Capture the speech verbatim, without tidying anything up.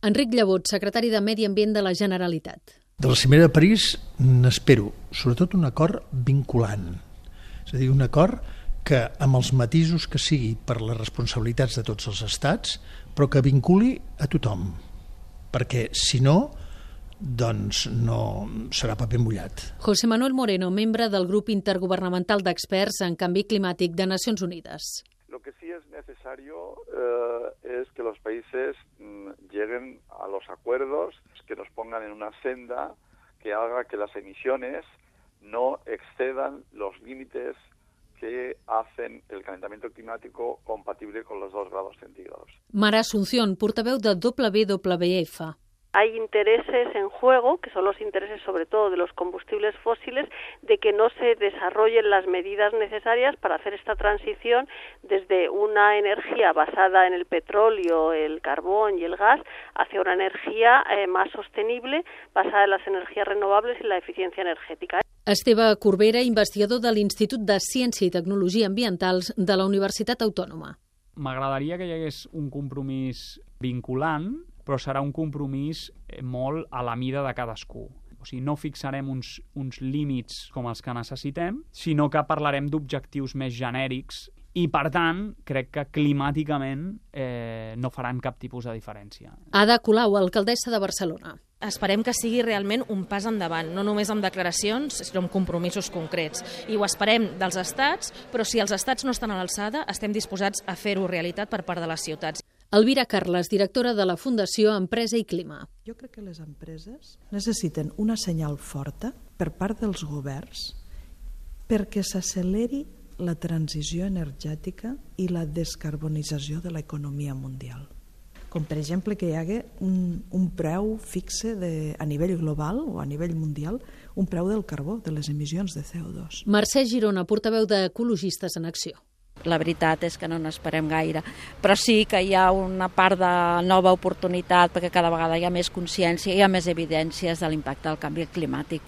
Enric Llevot, secretari de Medi Ambient de la Generalitat. De la cimera de París n'espero, sobretot un acord vinculant. És a dir, un acord que, amb els matisos que sigui per les responsabilitats de tots els estats, però que vinculi a tothom. Perquè, si no, doncs no serà paper mullat. José Manuel Moreno, membre del grup intergubernamental d'experts en canvi climàtic de Nacions Unides. Lo que sí es necesario eh, es que los países mm, lleguen a los acuerdos, que nos pongan en una senda que haga que las emisiones no excedan los límites que hacen el calentamiento climático compatible con los dos grados centígrados. Mara Asunción, portaveu de W W F. Hay intereses en juego, que son los intereses sobre todo de los combustibles fósiles, de que no se desarrollen las medidas necesarias para hacer esta transición desde una energía basada en el petróleo, el carbón y el gas hacia una energía eh, más sostenible, basada en las energías renovables y la eficiencia energética. Esteve Corbera, investigador de l'Institut de Ciència i Tecnologia Ambientals de la Universitat Autònoma. M'agradaria que hi hagués un compromís vinculant, però serà un compromís molt a la mida de cadascú. O sigui, no fixarem uns, uns límits com els que necessitem, sinó que parlarem d'objectius més genèrics i, per tant, crec que climàticament eh, no faran cap tipus de diferència. Ada Colau, alcaldessa de Barcelona. Esperem que sigui realment un pas endavant, no només amb declaracions, sinó amb compromisos concrets. I ho esperem dels estats, però si els estats no estan a l'alçada, estem disposats a fer-ho realitat per part de les ciutats. Elvira Carles, directora de la Fundació Empresa i Clima. Jo crec que les empreses necessiten una senyal forta per part dels governs perquè s'acceleri la transició energètica i la descarbonització de l'economia mundial. Com per exemple que hi hagi un, un preu fixe de, a nivell global o a nivell mundial, un preu del carbó, de les emissions de C O dos. Mercè Girona, portaveu d'Ecologistes en Acció. La veritat és que no n'esperem gaire, però sí que hi ha una part de nova oportunitat perquè cada vegada hi ha més consciència i hi ha més evidències de l'impacte del canvi climàtic.